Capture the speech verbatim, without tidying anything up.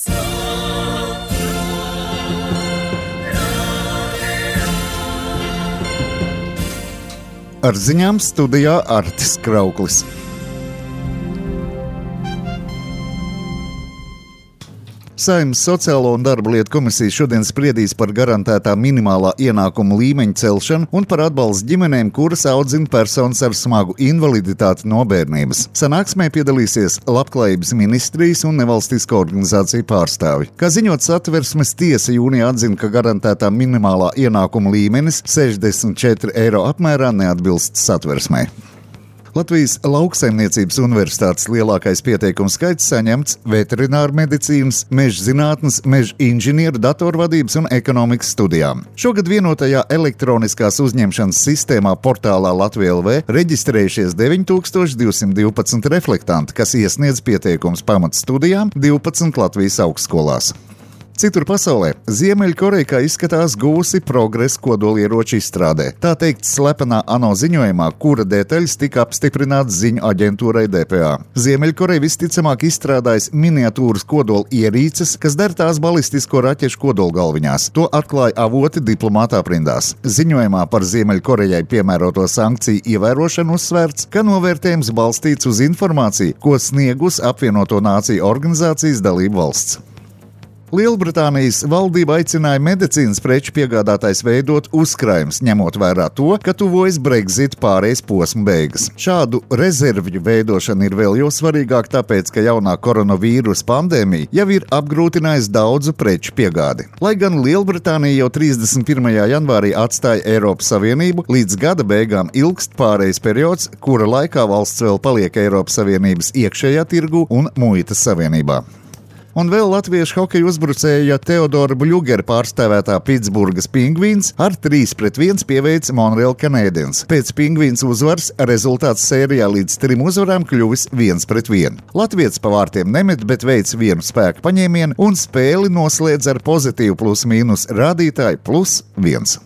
Ar ziņām studijā Artis Krauklis. Saeimas Sociālo un darba lietu komisija šodien spriedīs par garantētā minimālā ienākuma līmeņa celšanu un par atbalstu ģimenēm, kuras audzina personas ar smagu invaliditāti no bērnības. Sanāksmē piedalīsies Labklājības ministrijas un nevalstisko organizāciju pārstāvji. Kā ziņots, Satversmes tiesa jūnijā atzina, ka garantētā minimālā ienākuma līmenis sešdesmit četri eiro apmērā neatbilst Satversmei. Latvijas Lauksaimniecības universitātes lielākais pieteikumu skaits saņemts veterināru medicīnas, meža zinātnes, meža inženieru, datorvadības un ekonomikas studijām. Šogad vienotajā elektroniskās uzņemšanas sistēmā portālā Latvija L V reģistrējušies deviņi tūkstoši divsimt divpadsmit reflektanti, kas iesniedz pieteikumus pamatstudijām divpadsmit Latvijas augstskolās. Citur pasaulē Ziemeļkoreja, kā izskatās, gūsi progresu kodolieroču izstrādē. Tā teikt slepenā ANO ziņojumā, kura detaļas tika apstiprināts ziņu aģentūrai D P A. Ziemeļkoreja visticamāk izstrādājas miniatūras kodola ierīces, kas der tās balistisko raķešu kodolgalviņās. To atklāja avoti diplomāta aprindās. Ziņojumā par Ziemeļkorejai piemēroto sankciju ievērošanu uzsvērts, ka novērtējums balstīts uz informāciju, ko sniegus apvienoto nāciju organizācijas dalību valsts. Lielbritānijas valdība aicināja medicīnas preču piegādātājs veidot uzkrājumus, ņemot vērā to, ka tuvojas Brexit pārejas posma beigas. Šādu rezervju veidošana ir vēl jo svarīgāk, tāpēc, ka jaunā koronavīrusa pandēmija jau ir apgrūtinājusi daudzu preču piegādi. Lai gan Lielbritānija jau trīsdesmit pirmajā janvārī atstāja Eiropas Savienību, līdz gada beigām ilgst pārejas periods, kura laikā valsts vēl paliek Eiropas Savienības iekšējā tirgu un muitas savienībā. Un vēl latviešu hokeja uzbrucēja Teodora Bļugera pārstāvētā Pitsburgas Pingvīns ar trīs pret viens pieveica Montreal Canadiens. Pēc Pingvīns uzvaras rezultāts sērijā līdz trim uzvarām kļuvis viens pret vienu. Latvietis pa vārtiem nemet, bet veic vienu spēku paņēmienu un spēli noslēdz ar pozitīvu plus mīnus rādītāju plus viens.